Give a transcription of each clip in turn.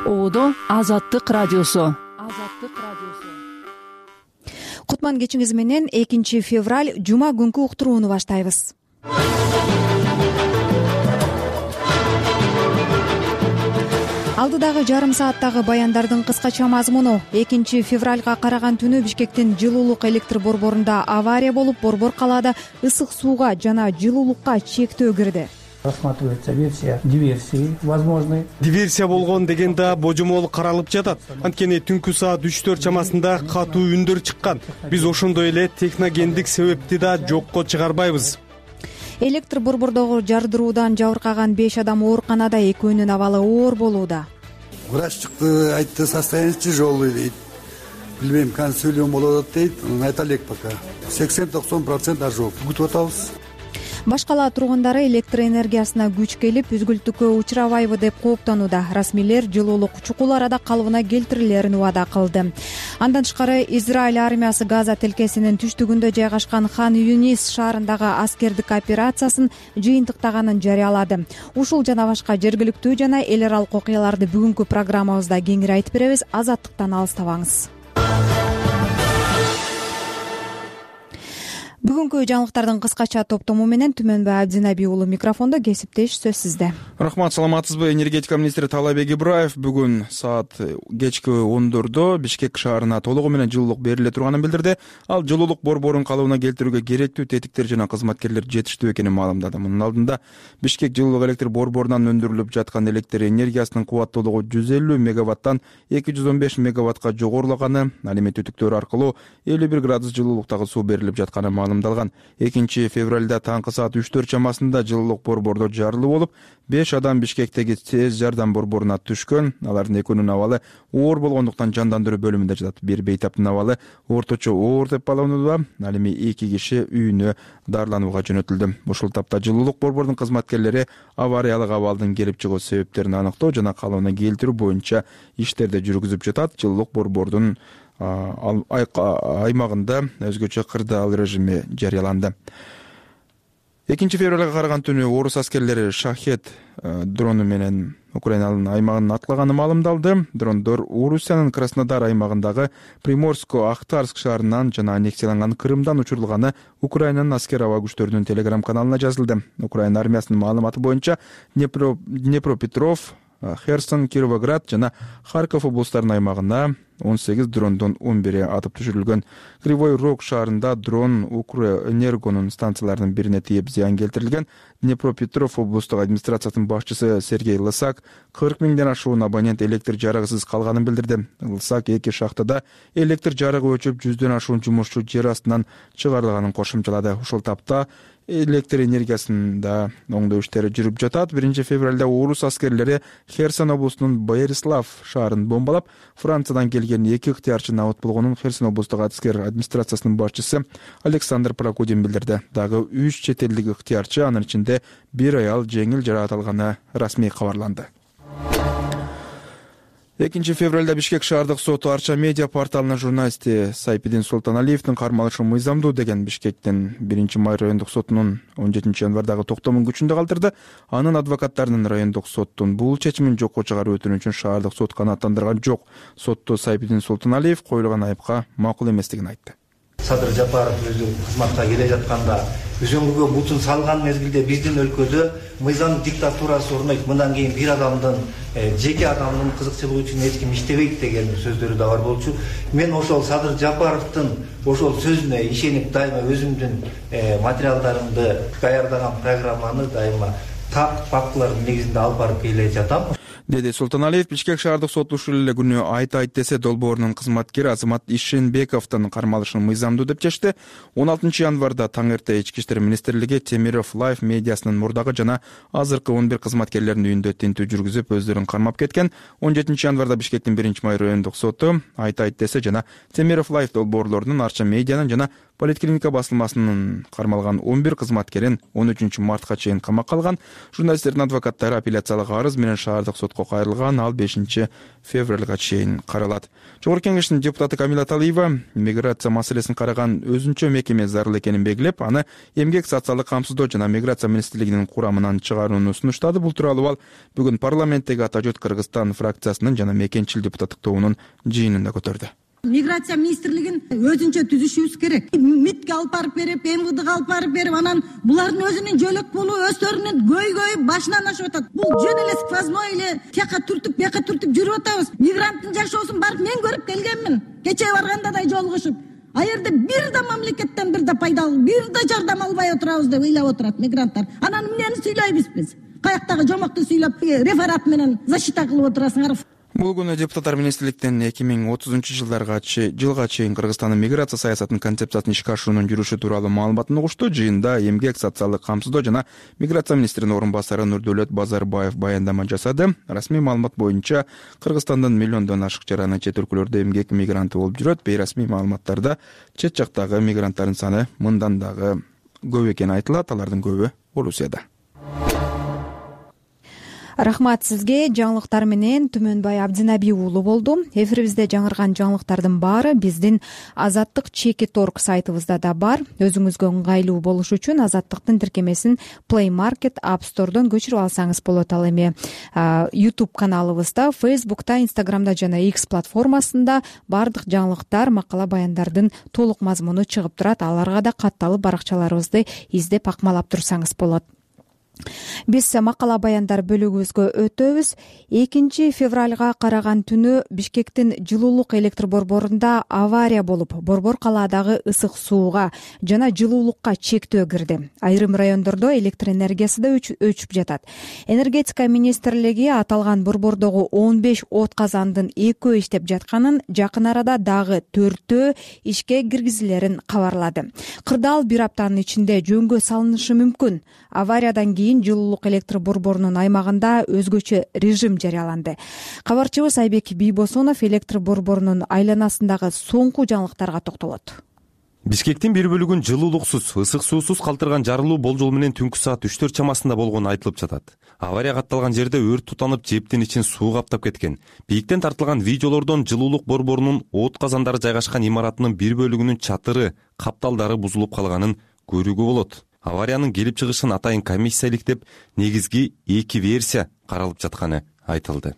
Оодо Азаттык радиосу. Кутман кечиңиз менен 2 февраль жума күнкү уктурууну баштайбыз. Алдыдагы жарым сааттагы баяндардын кыскача мазмуну: 2 февралга караган түнү Бишкектин жылуулук электр борборунда авария болуп, борбор калаада ысык сууга жана жылуулукка чектөө кирди. Рассматривается версия диверсии возможной. Диверсия болгон деген да божомол каралып жатат. Анткени түнкү саат 3-4 чамасында катуу үндөр чыккан. Биз ошондой эле техногендик себепти да жокко чыгарбайбыз. Электр борбордогу жардыруудан жабыркаган 5 адам ооруканада, экөөнүн абалы оор болууда. Врач чыкты, айтты, состояние тяжелый дейт. Билбейм, консилиум болот дейт, айта элек пока. 80-90% ожог. Күтүп атабыз. Башка кала тургундары электр энергиясына күч келип, үзгүлтүккө учурабайбы деп кооптонууда. Расмийлер жылуулук чукул арада калыбына келтирилерин убада кылды. Андан тышкары Израиль армиясы Газа тилкесинин түштүгүндө жайгашкан Хан Юнис шаарындагы аскердик операциясын жыйынтыктаганын жарыялады. Ушул жана башка жергиликтүү жана эл аралык окуяларды бүгүнкү программабызда кеңири айтып беребиз. Азаттыктан алыстабаңыз. Бүгүнкү жаңылыктардын кыскача топтому менен Түмөнбай Абдинаби уулу микрофондо, кесиптеш сөз сизде. Рахмат, саламатсызбы? Энергетика министри Таалайбек Ибраев бүгүн саат кечки 10:00 Бишкек шаарына толугу менен жылуулук бериле турганын билдирди. Ал жылуулук борборун калыбына келтирүүгө керектүү тетиктер жана кызматкерлер жетиштүү экенин маалымдады. Мунун алдында Бишкек жылуулук электр борборунан өндүрүлүп жаткан электр энергиясынын кубаттуулугу 150 мегаваттан 215 мегаваттка жогорулаганы, ал эми түтүктөр аркылуу 51 градус жылуулуктагы суу берилип жатканы маалымдалган. 2 февралда таңкы саат 3-4 чамасында жылуулук борбордо жарылуу болуп, 5 адам Бишкектеги тез жардам борборуна түшкөн. Алардын экөөнүн абалы оор болгондуктан жандандыруу бөлүмүндө жатат. Бир бейтаптын абалы орточо оор деп бааланууда. Ал эми 2 киши үйүнө дарыланууга жөнөтүлдү. Ушул тапта жылуулук борборунун кызматкерлери авариялык абалдын келип чыгуу себептерин аныктоо жана калыбына келтирүү боюнча иштерди жүргүзүп жатат. Жылуулук борбордун аймагында өзгөчө кырдаал режими жарыяланды. 2 февралга караган түнү орус аскерлери Шахет дрону менен Украинанын аймагын атлаганы маалымдалды. Дрондор Орусиянын Краснодар аймагындагы Приморско-Ахтарск шаарынан жана аннексияланган Крымдан учурулганы Украинанын аскер аба күчтөрүнүн телеграм каналына жазылды. Украина армиясынын маалыматы боюнча Днепропетров, Херсон, Кировоград жана Харьков облустарынын аймагына 18 дрондон 11 атып түшүрүлгөн. Кривой Рог шаарында дрон Укрэнергонун станцияларынын бирине тийип зыян келтирилген. Днепропетров облустук администрациясынын башчысы Сергей Лысак 40 миңден ашуун абонент электр жарыгысыз калганын билдирди. Лысак 2 шахтада электр жарыгы өчүп, 100дөн ашуун жумушчу жер астынан чыгарылганын кошумчалады. Ушул тапта электр энергиясында оңдоо иштери жүрүп жатат. 1 февралда орус аскерлери Херсон облусунун Борислав шаарын бомбалап, Франциядан келген 2 ыктыярчы абыт болгонун Херсон облустук аскер администрациясынын башчысы Александр Прокудин билдирди. Дагы 3 чет элдик ыктыярчы, анын ичинде 1 аял жеңил жаракат алганы расмий кабарланды. 2 февралда Бишкек шаардык соту Арча медиа порталынын журналисти Сайпидин Султаналиевдин кармалышы мыйзамдуу деген Бишкектин 1 май райондук сотунун 17 январдагы токтомун күчүндө калтырды. Анын адвокаттарынын райондук соттун бул чечимин жокко чыгаруу өтүнүчүн шаардык сот канааттандырган жок. Сотто Сайпидин Султаналиев коюлган айыпка макул эместигин айтты. Садыр Жапаров өзү кызматка келе жатканда үзөңгүгө бутун салган мезгилде биздин өлкөдө мыйзам диктатурасы орнойт. Мындан кийин бир адамдын, жеке адамдын кызыкчылыгы үчүн эч ким иштебейт деген сөздөрү да бар болчу. Мен ошол Садыр Жапаровдун ошол сөзүнө ишенип дайыма өзүмдүн материалдарымды даярдаган программаны дайыма так фактылардын негизинде алып барып келе жатам, деди Султаналиев. Бишкек шаардык соту ушул эле күнү айт десе долбоорунун кызматкери Азамат Ишенбековдун кармалышын мыйзамдуу деп чечти. 16 январда таң эрте Ички иштер министрлиги Темиров Лайф медиасынын мурдагы жана азыркы 11 кызматкерлеринин үйүндө тинтүү жүргүзүп, өздөрүн кармап кеткен. 17 январда Бишкектин 1 май райондук соту айт десе жана Темиров Лайф долбоорлорунун Арча медианын жана Политклиника басылмасынын кармалган 11 кызматкерин 13 мартка чейин камакка алган. Журналисттердин адвокаттары апелляциялык арыз менен шаардык сотко кайрылган, ал 5 февралга чейин каралат. Жогорку Кеңештин депутаты Камила Талиева миграция маселесин караган өзүнчө мекеме зарыл экенин белгилеп, аны эмгек социалдык камсыздоо жана миграция министрлигинин курамынан чыгарууну сунуштады. Бул тууралуу ал бүгүн парламенттеги Ата жұрт Кыргызстан фракциясынын жана мекенчил депутаттык тобунун жыйынында көтөрдү. Миграция министрлигин өзүнчө түзүшүбүз керек. МИДке алып барып берип, МВДга алып барып берип, анан булардын өзүнүн жөлөк болуу өздөрүнүн көйгөйү башынан ашып атат. Бул жөн эле сквозной эле тияка түртүп, бияка түртүп жүрүп атабыз. Мигранттын жашоосун барып мен көрүп келгенмин. Кечээ барганда да жолугушуп. А жерде бир да мамлекеттен бир да пайдалуу, бир да жардам албай отурабыз деп ыйлап отурат мигранттар. Анан эмнени сүйлөйбүз биз? Каяктагы жомокту сүйлөп, реферат менен защита кылып отурасыңар. Бул күнү депутаттар министрликтен 2030-жылга чейин Кыргызстандын миграция саясатынын концепциясын ишке ашыруунун жүрүшү тууралуу маалыматын угушту. Жыйында эмгек, социалдык камсыздоо жана миграция министринин орун басары Нурдөлөт Базарбаев баяндама жасады. Расмий маалымат боюнча Кыргызстандын миллиондон ашык жараны чет өлкөлөрдө эмгек мигранты болуп жүрөт. Бейрасмий маалыматтарда чет жактагы мигранттардын саны мындан дагы көп экени айтылат. Алардын көбү Орусияда. Рахмат сизге. Жаңылыктар менен Түмөнбай Абдинаби уулу болду. Эфирибизде жаңырган жаңылыктардын баары биздин Азаттык Чекит.org сайтыбызда да бар. Өзүңүзгө ыңгайлуу болуш үчүн Азаттыктын тиркемесин Play Market App Store'дон көчүрүп алсаңыз болот. Ал эми YouTube каналыбызда, Facebook'та, Instagram'да жана X платформасында бардык жаңылыктар, макала баяндардын толук мазмуну чыгып турат. Аларга да катталып баракчаларыбызды издеп акмалап турсаңыз болот. Биз макала баяндар бөлүгүбүзгө өтөбүз. 2 февралга караган түнү Бишкектин жылуулук электр борборунда авария болуп, борбор калаадагы ысык сууга жана жылуулукка чектөө кирди. Айрым райондордо электр энергиясы да өчүп жатат. Энергетика министрлиги аталган борбордогу 15 от казандын 2 иштеп жатканын, жакын арада дагы 4 ишке киргизилерин кабарлады. Кырдаал бир аптанын ичинде жөнгө салынышы мүмкүн. Авариядан кийин жылуулук электр борборунун аймагында өзгөчө режим жарыяланды. Кабарчыбыз Айбек Бийбосонов электр борборунун айланасындагы соңку жаңылыктарга токтолот. Бишкектин бир бөлүгүн жылуулуксуз, ысык суусуз калтырган жарылуу болжол менен түнкү саат 3-4 чамасында болгону айтылып жатат. Авария катталган жерде өрт тутанып, жептин ичин суу каптап кеткен. Бийиктен тартылган видеолордон жылуулук борборунун от казандары жайгашкан имаратынын бир бөлүгүнүн чатыры, капталдары бузулуп калганын көрүүгө болот. Авариянын келип чыгышын атайын комиссия иликтеп, негизги 2 версия каралып жатканы айтылды.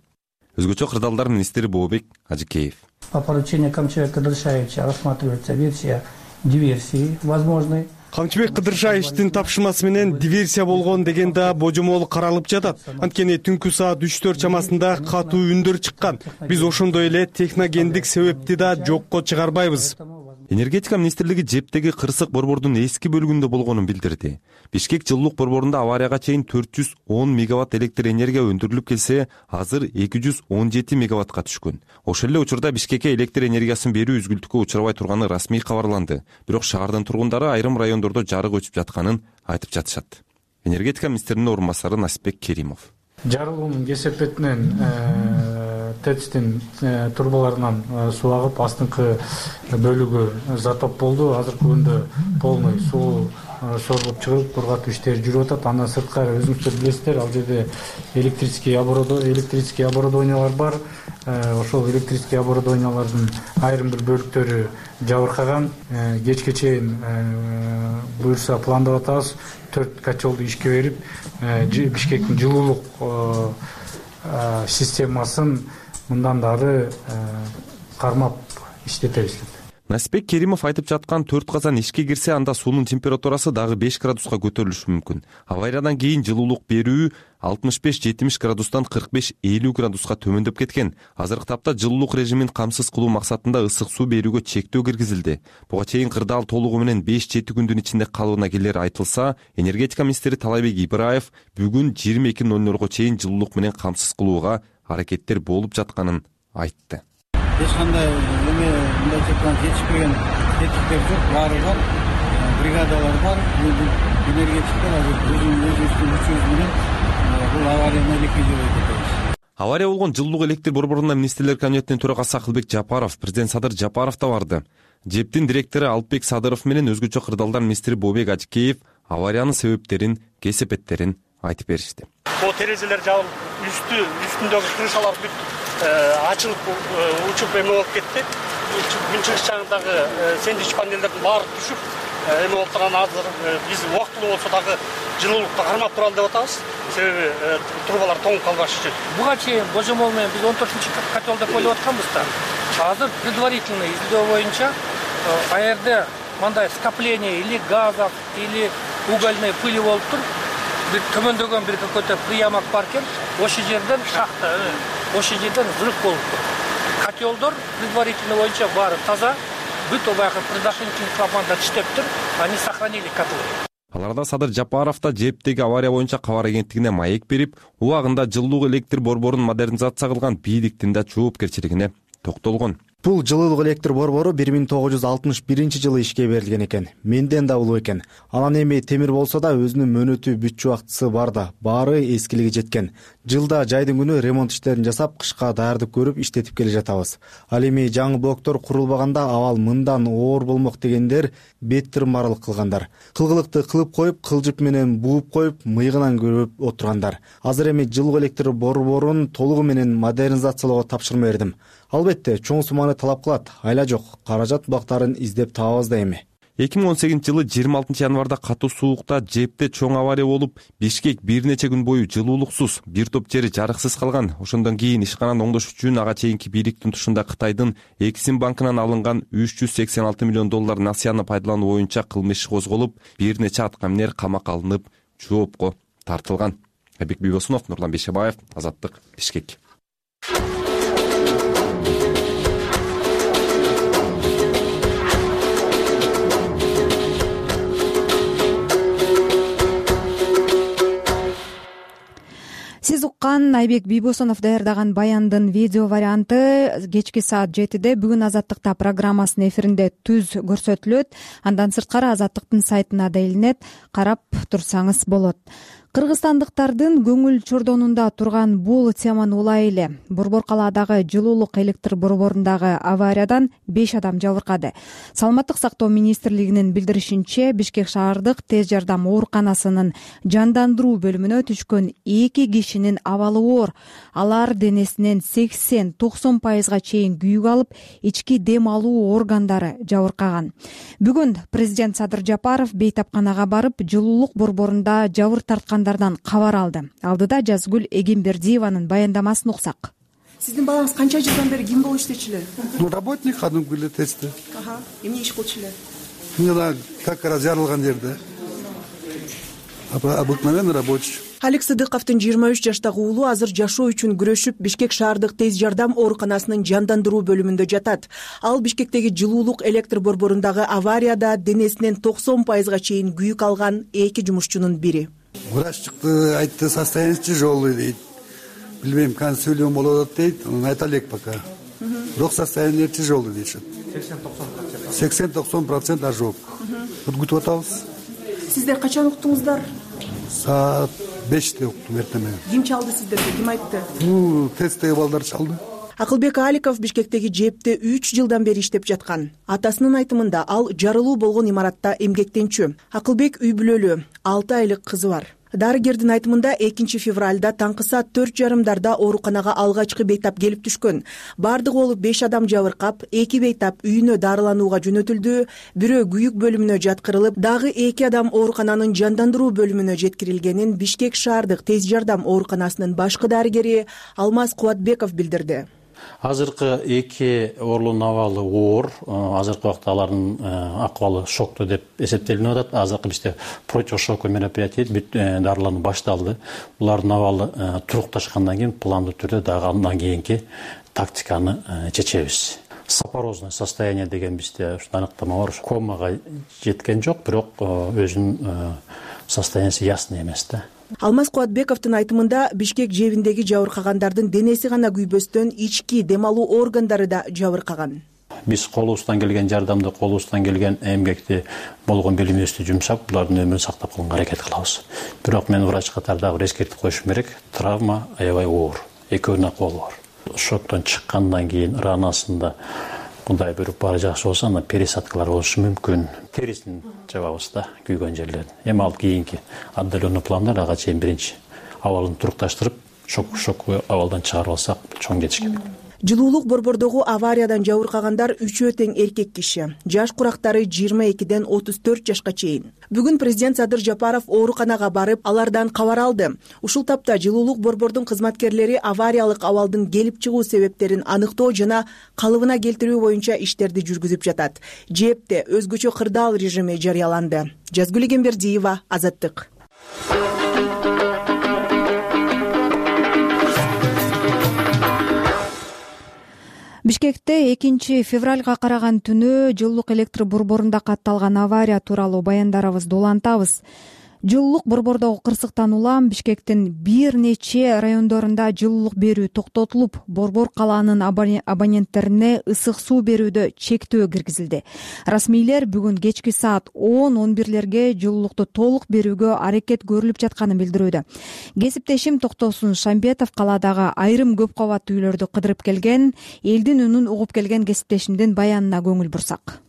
Өзгөчө кырдаалдар министри Бообек Ажыкеев. По поручению Камчыбека Кыдыршаевича рассматривается версия диверсии возможной. Камчыбек Кыдыршаевичтин тапшырмасы менен диверсия болгон деген да божомол каралып жатат. Анткени түнкү саат 3-4 чамасында катуу үндөр чыккан. Биз ошондой эле техногендик себепти да жокко чыгарбайбыз. Энергетика министрлиги жептеги кырсык борбордун эски бөлүгүндө болгонун билдирди. Бишкек жылуулук борборунда аварияга чейин 410 мегаватт электр энергия өндүрүлүп келсе, азыр 217 мегаваттка түшкөн. Ошол эле учурда Бишкекке электр энергиясын берүү үзгүлтүккө учурабай турганы расмий кабарланды. Бирок шаардын тургундары айрым райондордо жарык өчүп жатканын айтып жатышат. Энергетика министринин орун басары Насипбек Керимов. Жарылуунун кесепетинен ТЭЦтин турбаларынан суу агып, астыңкы бөлүгү затоп болду. Азыркы күндө полный суу соргуп чыгып, кургатуу иштери жүрүп атат. Андан сырткары өзүңүздөр билесиздер, ал жерде электрический оборудованиялар бар. Ошол электрический оборудованиялардын айрым бир бөлүктөрү жабыркаган. Кечке чейин буюрса пландап атабыз 4 котелду ишке берип, Бишкектин жылуулук системасын мындан дагы кармап иштетебиз. Насипбек Керимов айтып жаткан 4 казан ишке кирсе, анда суунун температурасы дагы 5 градуска көтөрүлүшү мүмкүн. Авариядан кийин жылуулук берүү 65-70 градустан 45-50 градуска төмөндөп кеткен. Азыркы тапта жылуулук режимин камсыз кылуу максатында ысык суу берүүгө чектөө киргизилди. Буга чейин кырдаал толугу менен 5-7 күндүн ичинде калыбына келери айтылса, энергетика министри Талайбек Ибраев бүгүн 22:00 чейин жылуулук менен камсыз кылууга аракеттер болуп жатканын айтты. Эч кандай мындай чектен жетишпеген тетиктер жок, баары бар, бригадалар бар. Энергетиктер өзүбүздүн күчүбүз менен бул аварияны ликвидировать этебиз. Авария болгон жылуулук электр борборунда министрлер кабинетинин төрагасы Акылбек Жапаров, президент Садыр Жапаров да барды. ЖЭБтин директору Алпбек Садыров менен өзгөчө кырдаалдар министри Бообек Ажыкеев авариянын себептерин, кесепеттерин айтып беришти. Бул терезелер жабылып, үстүндөгү крышалар бүт ачылып, учуп эме болуп кетти. Күн чыгыш жагындагы сэндвич панелдердин баары түшүп, эме болуп турган азыр биз убактылуу болсо дагы жылуулукту кармап туралы деп атабыз. Себеби трубалар тоңуп калбаш үчүн. Буга чейин божомол менен биз 14-чы котел деп ойлоп атканбыз да. Азыр предварительный изилдөө боюнча аерде мындай скопление или газов, или угольной пыли болуп тур. Бир төмөндөгөн бир какой-то приемок бар экен. Ошол жерден шахта, ошол жерден взрыв болуп тур. Котелдор предварительный боюнча баары таза. Бүт баягы предохранительный клапандар иштеп тур. Они сохранили котлы. Аларда Садыр Жапаров да ЖЭБтеги авария боюнча кабар агенттигине маек берип, убагында жылуулук электр борборун модернизация кылган бийликтин да жоопкерчилигине токтолгон. Бул жылуулук электр борбору 1961-жылы ишке берилген экен. Менден да улуу экен. Анан эми темир болсо да өзүнүн мөөнөтү бүт убактысы бар да, баары эскилиги жеткен. Жылда жайдын күнү ремонт иштерин жасап, кышка даярдык көрүп иштетип келе жатабыз. Ал эми жаңы блоктор курулбаганда абал мындан оор болмок дегендер бет тырмарылык кылгандар. Кылгылыкты кылып коюп, кылжып менен бууп коюп, мыйгынан көрүп отургандар. Азыр эми жылуу электр борборун толугу менен модернизациялоого тапшырма бердим. Албетте, чоң сумманы талап кылат. Айла жок, каражат булактарын издеп табабыз да эми. 2018-жылы 26 январда катуу суукта ЖЭБте чоң авария болуп, Бишкек бир нече күн бою жылуулуксуз, бир топ жери жарыксыз калган. Ошондон кийин ишкананы оңдош үчүн ага чейинки бийликтин тушунда Кытайдын Эксим банкынан алынган $386 миллион насыяны пайдалануу боюнча кылмыш иши козголуп, бир нече аткаминер камакка алынып, жоопко тартылган. Айбек Бибосунов, Нурлан Бейшебаев, Азаттык, Бишкек. Сиз уккан Айбек Бибосунов даярдаган баяндын видео варианты кечки саат 7-де бүгүн Азаттыкта программасынын эфиринде түз көрсөтүлөт. Андан сырткары Азаттыктын сайтына да илинет, карап турсаңыз болот. Кыргызстандыктардын көңүл чордонунда турган бул теманы улай эле. Борбор калаадагы жылуулук электр борборундагы авариядан 5 адам жабыркады. Саламаттык сактоо министрлигинин билдиришинче, Бишкек шаардык тез жардам ооруканасынын жандандыруу бөлүмүнө түшкөн 2 кишинин абалы оор. Алар денесинен 80-90% чейин күйүк алып, ички дем алуу органдары жабыркаган. Бүгүн президент Садыр Жапаров бейтапканага барып, жылуулук борборунда жабыр тарткандардан кабар алды. Алдыда Жазгүл Эгембердиеванын баяндамасын уксак. Сиздин балаңыз канча жылдан бери ким болуп иштечү эле? Работник, кадимки эле тесте. Эмне иш кылчу эле? Мына как раз жарылган жерде. Обыкновенный рабочий. Алик Сыдыковдун 23 жаштагы уулу азыр жашоо үчүн күрөшүп, Бишкек шаардык тез жардам ооруканасынын жандандыруу бөлүмүндө жатат. Ал Бишкектеги жылуулук электр борборундагы аварияда денесинен 90% чейин күйүк алган 2 жумушчунун бири. Врач чыкты, айтты, состояние тяжелое дейт. Билбейм, кандай сөйлөм болот дейт, айта элек пока. Бирок состояние тяжелый дейт. 80-90% ожог. Күтүп атабыз. Сиздер качан уктуңуздар? Саат 5-те уктум эртең. Ким чалды сиздерге? Ким айтты? Тесттеги балдар чалды. Акылбек Аликов Бишкектеги ЖЭБте 3 жылдан бери иштеп жаткан. Атасынын айтымында ал жарылуу болгон имаратта эмгектенчү. Акылбек үй бүлөлүү, 6 айлык кызы бар. Дарыгердин айтымында 2 февралда таңкы саат 4:30 ооруканага алгачкы бейтап келип түшкөн. Бардыгы болуп 5 адам жабыркап, 2 бейтап үйүнө дарыланууга жөнөтүлдү, бирөө күйүк бөлүмүнө жаткырылып, дагы 2 адам оорукананын жандандыруу бөлүмүнө жеткирилгенин Бишкек шаардык тез жардам ооруканасынын башкы дарыгери Алмаз Кубатбеков билдирди. Азыркы 2 оорулуунун абалы оор. Азыркы убакта алардын акыбалы шоктуу деп эсептелинип атат. Азыркы бизде противошоковый мероприятие бүт дарылануу башталды. Булардын абалы турукташкандан кийин пландуу түрдө дагы андан кийинки тактиканы чечебиз. Сапорозное состояние деген бизде ушундай аныктама бар. Комага жеткен жок, бирок өзүнүн состояниясы ясный эмес да. Алмаз Кубатбековдун айтымында Бишкек жебиндеги жабыркагандардын денеси гана күйбөстөн ички дем алуу органдары да жабыркаган. Биз колубуздан келген жардамды, колубуздан келген эмгекти болгон билимибизди жумшап, булардын өмүрүн сактап калганга аракет кылабыз. Бирок мен врач катарда эскертип коюшум керек, травма аябай оор, экөөнүн акыбалы бар. Шоктон чыккандан кийин ранасында кудай буйруп баары жакшы болсо анда пересадкалар болушу мүмкүн. Терисин жабабыз да, күйгөн жерлерин. Эми ал кийинки отдаленный пландар ага чейин биринчи абалын турукташтырып, шок абалдан чыгарып алсак чоң жетиш керек. Жылуулук борбордогу авариядан жабыркагандар үчөө тең эркек киши. Жаш курактары 22ден 34 жашка чейин. Бүгүн президент Садыр Жапаров ооруканага барып, алардан кабар алды. Ушул тапта жылуулук борбордун кызматкерлери авариялык абалдын келип чыгуу себептерин аныктоо жана калыбына келтирүү боюнча иштерди жүргүзүп жатат. ЖЭБде өзгөчө кырдаал режими жарыяланды. Жазгүл Эгембердиева, Азаттык. Бишкекте 2 февралга караган түнү жылуулук электр борборунда катталган авария тууралуу баяндарыбызды улантабыз. Жылуулук борбордогу кырсыктан улам Бишкектин бир нече райондорунда жылуулук берүү токтотулуп, борбор калаанын абоненттерине ысык суу берүүдө чектөө киргизилди. Расмийлер бүгүн кечки саат 10-11лерге жылуулукту толук берүүгө аракет көрүлүп жатканын билдирүүдө. Кесиптешим Токтосун Шамбетов калаадагы айрым көп кабаттуу үйлөрдү кыдырып келген, элдин үнүн угуп келген кесиптешимдин баянына көңүл бурсак.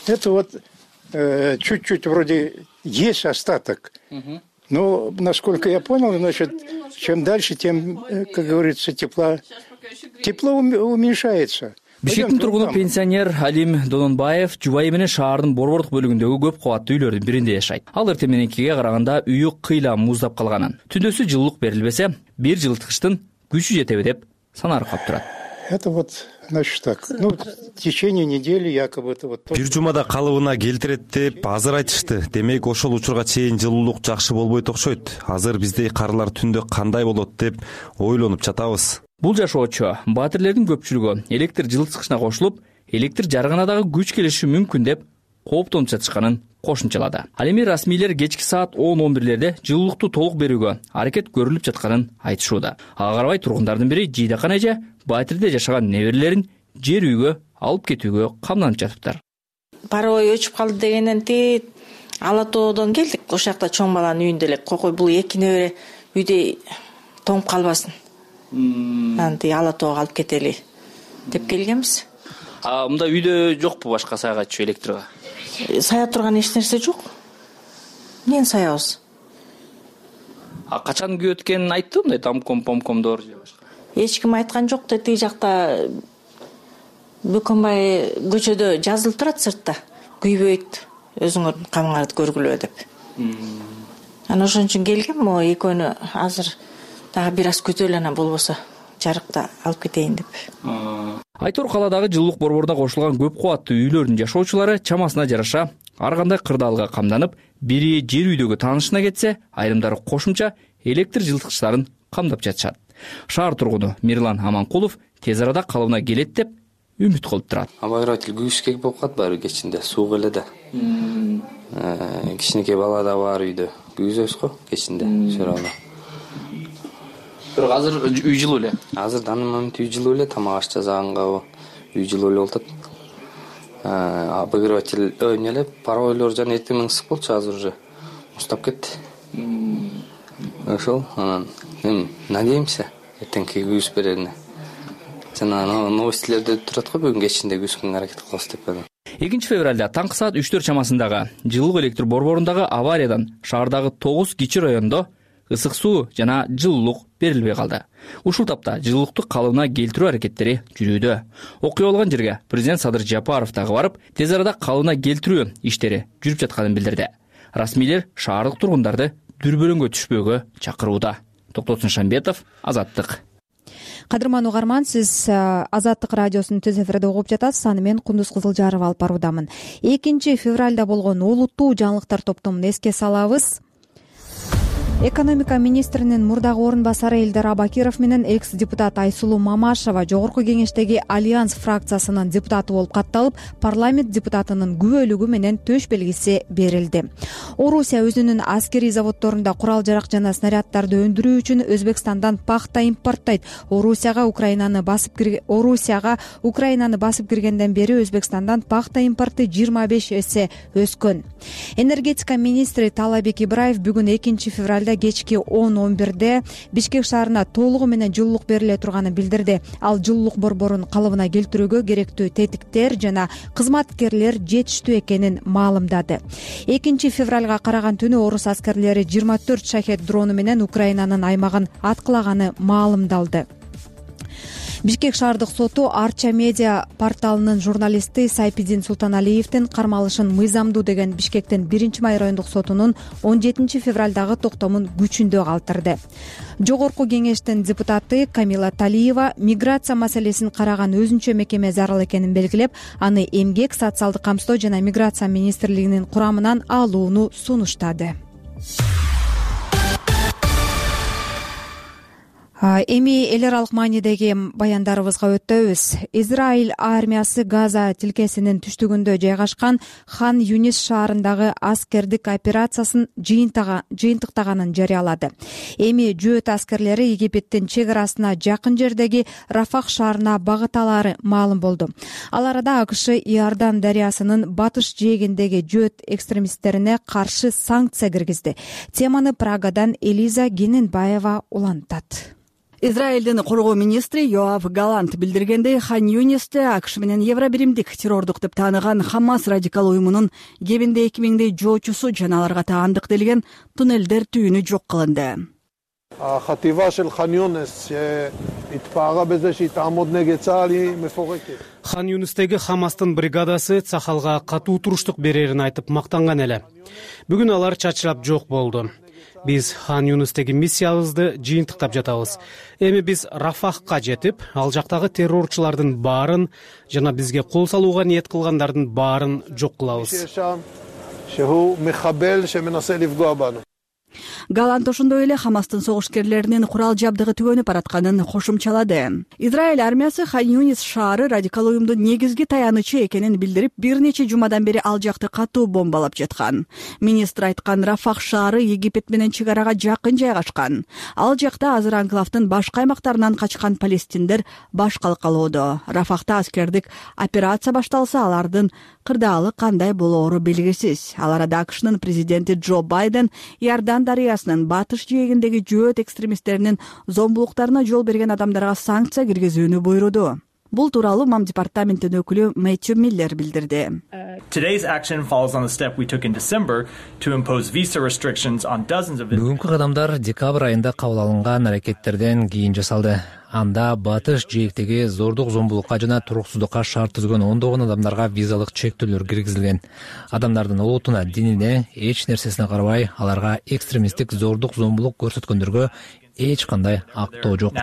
Это вот чуть-чуть вроде есть остаток, но, насколько я понял, значит, чем дальше, тем, как говорится, тепло уменьшается. Бишкектин тургуну пенсионер Алим Дононбаев жубайы менен шаардын борбордук бөлүгүндөгү көп кабаттуу үйлөрдүн биринде жашайт. Ал эртең мененкиге караганда үйү кыйла муздап калганын, түндөсү жылуулук берилбесе, бир жылыткычтын күчү жетеби деп санарып калып турат. Это вот, значит, так. Ну, в течение недели якобы это вот... Бир жумада калыбына келтирет деп азыр айтышты. Демек, ошол учурга чейин жылуулук жакшы болбойт окшойт. Азыр биздей карылар түндө кандай болот деп ойлонуп жатабыз. Бул жашоочу батирлердин көпчүлүгү электр жылыткычына кошулуп, электр жарыгына дагы күч келиши мүмкүн деп кооптонуп жатышканын кошумчалады. Ал эми расмийлер кечки саат 10-11лерде жылуулукту толук берүүгө аракет көрүлүп жатканын айтышууда. Ага карабай тургундардын бири Жийдакан эже батирде жашаган неберелерин жер үйгө алып кетүүгө камданып жатыптыр. Парой өчүп калды дегенен Ала Тоодон келдик. Ошол жакта чоң баланын үйүндө элек кокой бул эки небере үйдө тоңуп калбасын. Ала Тоого алып кетели деп келгенбиз. Мында үйдө жокпу башка саягатчы электрга? Сая турган эч нерсе жок. Эмнени саябыз? Качан күйөт экенин айтты, мындай тамком-помкомдор же башка? Эч ким айткан жок да, тиги жакта Бөкөнбай көчөдө жазылып турат сыртта. Күйбөйт, өзүңөр камыңарды көргүлө деп. Анан ошон үчүн келгем, могу экөөнү азыр дагы бир аз күтөлү, анан болбосо жарыкта алып кетейин деп. Айтор калаадагы жылуулук борборуна кошулган көп кабаттуу үйлөрдүн жашоочулары чамасына жараша ар кандай кырдаалга камданып, бири жер үйдөгү таанышына кетсе, айрымдары кошумча электр жылыткычтарын камдап жатышат. Шаар тургуну Мирлан Аманкулов тез арада калыбына келет деп үмүт кылып турат. Обогреватель күйүшкек болуп калат баары кечинде, суу келе да. Кичинекей бала да бар үйдө. Күйүзөбүз го кечинде, шырала. Бирок азыр үй жылуу эле. Азыр данный момент үй жылуу эле, тамак аш жасаганга үй жылуу эле болуп атат. Обогреватель эмне паройлор жана эртең ысык болчу, азыр уже устап кетти. Ошол, анан надеемся эртеңки күйүс берерине. Жана новостилерде турат го бүгүн кечинде күйүскөнгө аракет кылабыз деп. 2 февралда таңкы саат 3-4 чамасындагы жылуулук электр борборундагы авариядан шаардагы 9 кичи райондо ысык суу жана жылуулук берилбей калды. Ушул тапта жылуулукту калыбына келтирүү аракеттери жүрүүдө. Окуя болгон жерге президент Садыр Жапаров дагы барып, тез арада калыбына келтирүү иштери жүрүп жатканын билдирди. Расмийлер шаардык тургундарды дүрбөлөңгө түшпөөгө чакырууда. Токтосун Шамбетов, Азаттык. Кадырман угарман, сиз Азаттык радиосунун түз эфирде угуп жатасыз. Аны мен Кундуз Кызылжарова алып баруудамын. 2 февралда болгон олуттуу жаңылыктар топтомун эске салабыз. Экономика министринин мурдагы орун басары Элдар Абакиров менен экс-депутат Айсулуу Мамашева Жогорку кеңештеги Альянс фракциясынын депутаты болуп катталып, парламент депутатынын күбөлүгү менен төш белгиси берилди. Орусия өзүнүн аскерий заводдорунда курал-жарак жана снаряддарды өндүрүү үчүн Өзбекстандан пахта импорттойт. Орусияга Украинаны басып киргенден бери Өзбекстандан пахта импорты 25 эсе өскөн. Энергетика министри Талабек Ибраев бүгүн 2 февралда айында кечки 10-11 Бишкек шаарына толугу менен жылуулук бериле турганын билдирди. Ал жылуулук борборун калыбына келтирүүгө керектүү тетиктер жана кызматкерлер жетиштүү экенин маалымдады. 2 февралга караган түнү орус аскерлери 24 шахет дрону менен Украинанын аймагын аткылаганы маалымдалды. Бишкек шаардык соту Арча медиа порталынын журналисти Сайпидин Султаналиевдин кармалышын мыйзамдуу деген Бишкектин 1-май райондук сотунун 17 февралдагы токтомун күчүндө калтырды. Жогорку кеңештин депутаты Камила Талиева миграция маселесин караган өзүнчө мекеме зарыл экенин белгилеп, аны эмгек, социалдык камсыздоо жана миграция министрлигинин курамынан алууну сунуштады. Эми эл аралык маанидеги баяндарыбызга өтөбүз. Израиль армиясы Газа тилкесинин түштүгүндө жайгашкан Хан Юнис шаарындагы аскердик операциясын жыйынтыктаганын жарыялады. Эми жөөт аскерлери Египеттин чек арасына жакын жердеги Рафах шаарына багыт алары маалым болду. Ал арада АКШ Иордан дарыясынын батыш жээгиндеги жөөт экстремисттерине каршы санкция киргизди. Теманы Прагадан Элиза Гененбаева улантат. Израилдин коргоо министри Йоав Галант билдиргендей, Хан Юнисте АКШ менен Евробиримдик террордук деп тааныган Хамас радикал уюмунун кебинде 2000 жоочусу жана аларга таандык делген туннелдер түйүнү жок кылынды. Хан Юнистеги Хамастын бригадасы Цахалга катуу туруштук берерин айтып мактанган эле. Бүгүн алар чачырап жок болду. Биз Хан Юнистеги миссиябызды жыйынтыктап жатабыз. Эми биз Рафахка жетип, ал жактагы террорчулардын баарын жана бизге кол салууга ниет кылгандардын баарын жок кылабыз. Галант ошондой эле Хамастын согушкерлеринин курал жабдыгы түгөнүп баратканын кошумчалады. Израиль армиясы Хан Юнис шаары радикал уюмдун негизги таянычы экенин билдирип, бир нече жумадан бери ал жакты катуу бомбалап жаткан. Министр айткан, Рафах шаары Египет менен чек арага жакын жайгашкан. Ал жакта азыр анклавдын башка аймактарынан качкан палестиндер баш калкалоодо. Рафахта аскердик операция башталса, алардын кырдаалы кандай болоору белгисиз. Ал арада АКШнын президенти Джо Байден Иордан дарыясынын батыш жээгиндеги жөөт экстремисттеринин зомбулуктарына жол берген адамдарга санкция киргизүүнү буйруду. Бул тууралуу МАМ департаментинин өкүлү Мэтью Миллер билдирди. Бүгүнкү кадамдар декабрь айында кабыл алынган аракеттерден кийин жасалды. Анда батыш жээктеги зордук зомбулукка жана туруксуздукка шарт түзгөн ондогон адамдарга визалык чектөөлөр киргизилген. Адамдардын улутуна, динине, эч нерсесине карабай, аларга экстремисттик зордук зомбулук көрсөткөндөргө эч кандай актоо жок.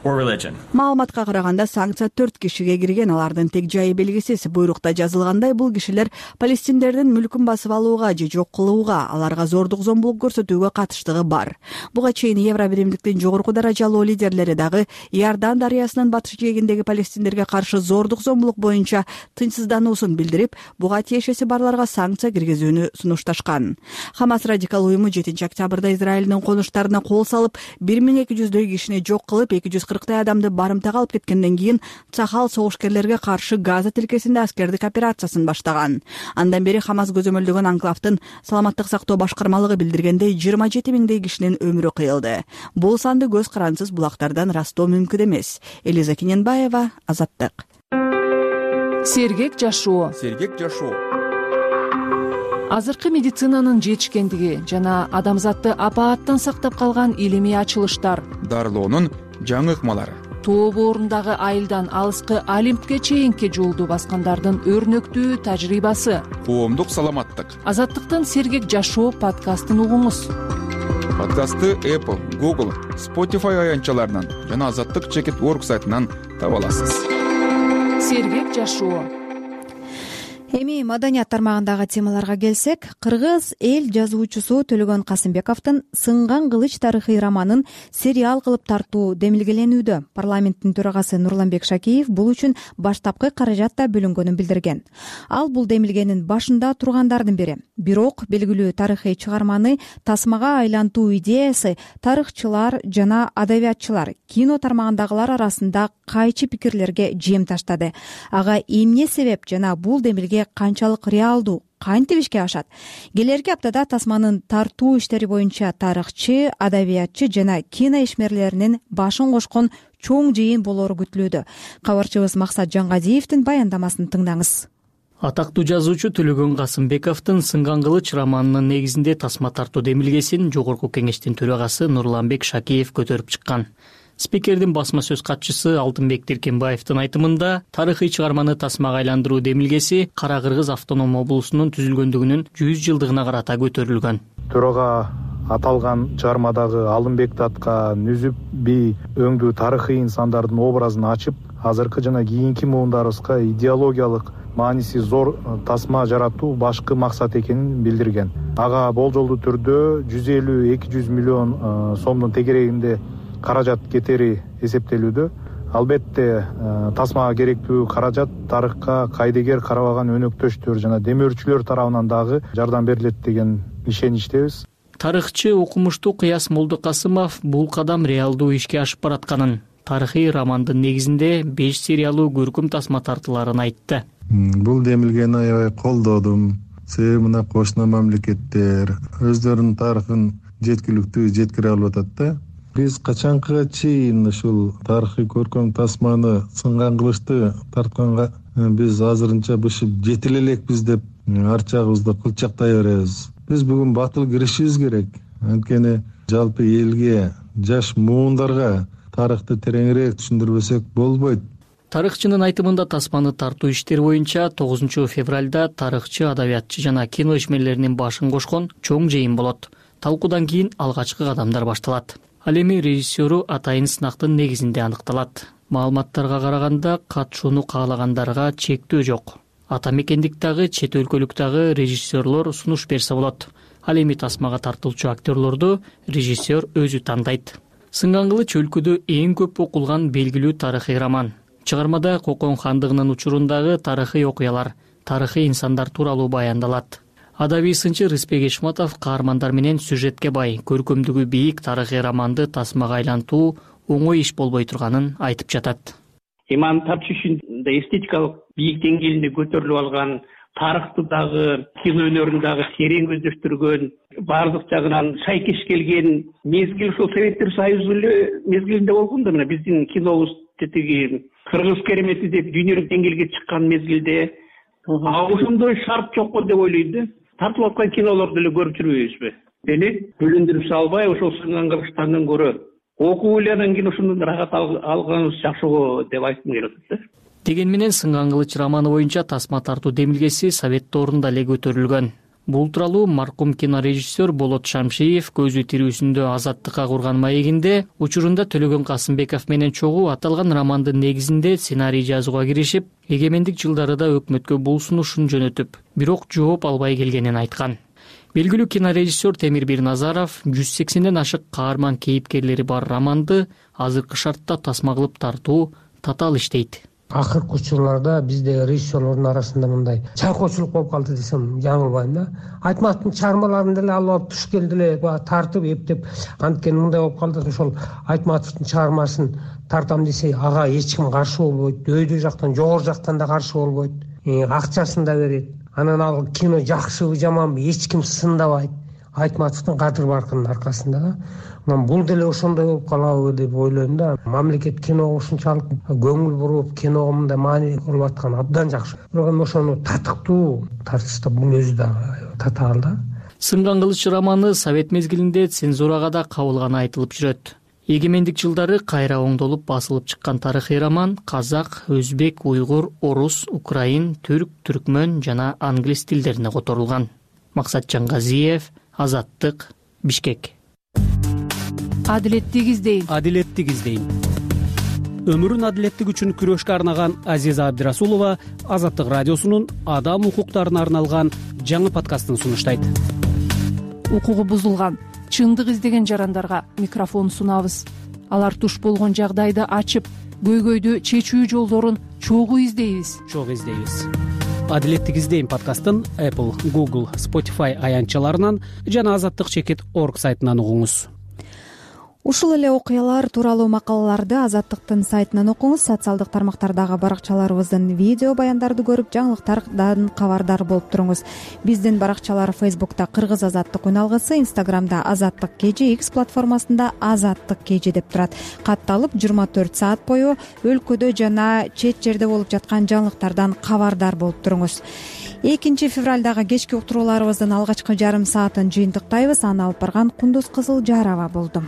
Маалыматка караганда санкция 4 кишиге кирген, алардын тег жайы белгисиз. Буйрукта жазылгандай, бул кишилер палестиндердин мүлкүн басып алууга же жок кылууга, аларга зордук зомбулук көрсөтүүгө катыштыгы бар. Буга чейин Евробиримдиктин жогорку даражалуу лидерлери дагы Иордан дарыясынын батыш жээгиндеги палестиндерге каршы зордук зомбулук боюнча тынчсыздануусун билдирип, буга тиешеси барларга санкция киргизүүнү сунушташкан. Хамас радикал уюму 7 октябрда Израилдин конуштарына кол салып, 1200дөй кишини жок кылып, 240 адамды барымтага алып кеткенден кийин Цахал согушкерлерге каршы Газа тилкесинде аскердик операциясын баштаган. Андан бери Хамас көзөмөлдөгөн анклавдын саламаттык сактоо башкармалыгы билдиргендей 27 кишинин өмүрү кыйылды. Бул санды көз карансыз булактардан ырастоо мүмкүн эмес. Элиза Гененбаева, Азаттык. Сергек жашоо. Азыркы медицинанын жетишкендиги жана адамзатты апааттан сактап калган илимий ачылыштар, дарылоонун жаңы ыкмалары, тоо боорундагы айылдан алыскы Олимпке чейинки жолду баскандардын өрнөктүү тажрыйбасы, коомдук саламаттык. Азаттыктын Сергек жашоо подкастын угуңуз. Подкастты Apple, Google, Spotify аянтчаларынан жана Азаттык.org сайтынан таба аласыз. Сергек жашоо. Эми маданият тармагындагы темаларга келсек, кыргыз эл жазуучусу Төлөгөн Касымбековдун Сынган кылыч тарыхый романын сериал кылып тартуу демилгеленүүдө. Парламенттин төрагасы Нурланбек Шакиев бул үчүн баштапкы каражат да бөлүнгөнүн билдирген. Ал бул демилгенин башында тургандардын бири. Бирок белгилүү тарыхый чыгарманы тасмага айлантуу идеясы тарыхчылар жана адабиятчылар, кино тармагындагылар арасында кайчы пикирлерге жем таштады. Ага эмне себеп жана бул демилге келечекте канчалык реалдуу, кантип ишке ашат? Келерки аптада тасманын тартуу иштери боюнча тарыхчы, адабиятчы жана кино ишмерлеринин башын кошкон чоң жыйын болору күтүлүүдө. Кабарчыбыз Максат Жангазиевдин баяндамасын тыңдаңыз. Атактуу жазуучу Төлөгөн Касымбековдун Сынган кылыч романынын негизинде тасма тартуу демилгесин Жогорку Кеңештин төрагасы Нурланбек Шакиев көтөрүп чыккан. Спикердин басма сөз катчысы Алтынбек Тиркенбаевдин айтымында, тарыхый чыгарманы тасмага айландыруу демилгеси Кара Кыргыз автоном облусунун түзүлгөндүгүнүн 100 жылдыгына карата көтөрүлгөн. Төрага аталган чыгармадагы Алымбек Татка, Нүзүп би өңдүү тарыхый инсандардын образын ачып, азыркы жана кийинки муундарыбызга идеологиялык мааниси зор тасма жаратуу башкы максат экенин билдирген. Ага болжолдуу түрдө 150-200 миллион сомдун тегерегинде каражат кетери эсептелүүдө. Албетте тасмага керектүү каражат тарыхка кайдыгер карабаган өнөктөштөр жана демөөрчүлөр тарабынан дагы жардам берилет деген ишеничтебиз. Тарыхчы окумуштуу Кыяс Молдокасымов бул кадам реалдуу ишке ашып баратканын, тарыхый романдын негизинде 5 сериялуу көркөм тасма тартыларын айтты. Бул демилгени аябай колдодум. Себеби мына кошуна мамлекеттер өздөрүнүн тарыхын жеткиликтүү жеткире алып атат да. Биз качанкыга чейин ушул тарыхый көркөм тасманы Сынган кылычты тартканга биз азырынча бышып жетиле элекпиз деп арчагыбызды кылчактай беребиз. Биз бүгүн батыл киришибиз керек. Анткени жалпы элге, жаш муундарга тарыхты тереңирээк түшүндүрбөсөк болбойт. Тарыхчынын айтымында тасманы тартуу иштери боюнча 9 февралда тарыхчы, адабиятчы жана кино ишмерлеринин башын кошкон чоң жыйын болот. Талкуудан кийин алгачкы кадамдар башталат. Ал эми режиссеру атайын сынактын негизинде аныкталат. Маалыматтарга караганда катышууну каалагандарга чектөө жок. Ата мекендик дагы, чет өлкөлүк дагы режиссерлор сунуш берсе болот. Ал эми тасмага тартылчу актерлорду режиссер өзү тандайт. Сынган кылыч өлкөдө эң көп окулган белгилүү тарыхый роман. Чыгармада Кокон хандыгынын учурундагы тарыхый окуялар, тарыхый инсандар тууралуу баяндалат. Адабий сынчы Рыспек Эшматов каармандар менен сюжетке бай, көркөмдүгү бийик тарыхый романды тасмага айлантуу оңой иш болбой турганын айтып жатат. Иман Тапчишин да эстетикалык бийик деңгээлинде көтөрүлүп алган, тарыхты дагы, кино өнөрүн дагы терең көздөштүргөн, баардык жагынан шайкеш келген мезгил ушул Советтер Союзу мезгилинде болгон да, мына биздин кинобуз тетиги Кыргыз керемети деп дүйнөлүк деңгээлге чыккан мезгилде ошондой шарт жокпу деп ойлойм да. Тартылып аткан кинолорду эле көрүп жүрбөйбүзбү? Эми бөлүндүрүп салбай ошол Сынган кылычтан көрө окуп элеген кийин ошондон рахат алганыбыз жакшы го деп айткым келип атат да. Деген менен Сынган кылыч романы боюнча тасма тартуу демилгеси Совет доорунда эле көтөрүлгөн. Бул тууралуу маркум кинорежиссер Болот Шамшиев көзү тирүүсүндө Азаттыкка курган маегинде учурунда Төлөгөн Касымбеков менен чогуу аталган романдын негизинде сценарий жазууга киришип, эгемендик жылдарыда өкмөткө бул сунушун жөнөтүп, бирок жооп албай келгенин айткан. Белгилүү кинорежиссер Темир Бирназаров 180ден ашык каарман кейипкерлери бар романды азыркы шартта тасма кылып тартуу татаал иш дейт. Акыркы учурларда бизде режиссерлордун арасында мындай чайкоочулук болуп калды десем жаңылбайм да. Айтматовдун чыгармаларын деле алып туш келди эле тартып эптеп, анткени мындай болуп калды. Ошол Айтматовдун чыгармасын тартам десе, ага эч ким каршы болбойт. Өйдө жактан, жогору жактан да каршы болбойт. Акчасын да берет. Анан ал кино жакшыбы жаманбы эч ким сындабайт. Айтматовдун кадыр баркынын аркасында да. Мен бул деле ошондой болуп калабы деп ойлойм да. Мамлекет киного ушунчалык көңүл буруп, киного мындай маани кылып аткан абдан жакшы. Бирок эми ошону татыктуу тартышта бул өзү да татаал да. Сынган кылыч романы Совет мезгилинде цензурага да кабылганы айтылып жүрөт. Эгемендик жылдары кайра оңдолуп басылып чыккан тарыхый роман казак, өзбек, уйгур, орус, украин, түрк, түркмөн жана англис тилдерине которулган. Максат Жангазиев, Азаттык, Бишкек. Адилеттик издейм. Адилеттик издейм. Өмүрүн адилеттик үчүн күрөшкө арнаган Азиза Абдирасулова Азаттык радиосунун адам укуктарына арналган жаңы подкастын сунуштайт. Укугу бузулган, чындык издеген жарандарга микрофон сунабыз. Алар туш болгон жагдайды ачып, көйгөйдү чечүү жолдорун чогуу издейбиз. Адилеттик издейм подкастын Apple, Google, Spotify аянтчаларынан жана Азаттык.org сайтынан угуңуз. ушул эле окуялар тууралуу макалаларды Азаттыктын сайтынан окуңуз. Социалдык тармактардагы баракчаларыбыздын видео баяндарды көрүп, жаңылыктардан кабардар болуп туруңуз. Биздин баракчалар Facebook'та Кыргыз Азаттык үналгысы, Instagram'да Азаттык KG, X платформасында Азаттык KG деп турат. Катталып 24 саат бою өлкөдө жана чет жерде болуп жаткан жаңылыктардан кабардар болуп туруңуз. 2 февралдагы кечки уктурууларыбыздын алгачкы жарым саатын жыйынтыктайбыз. Аны алып барган Кундуз Кызылжарова болду.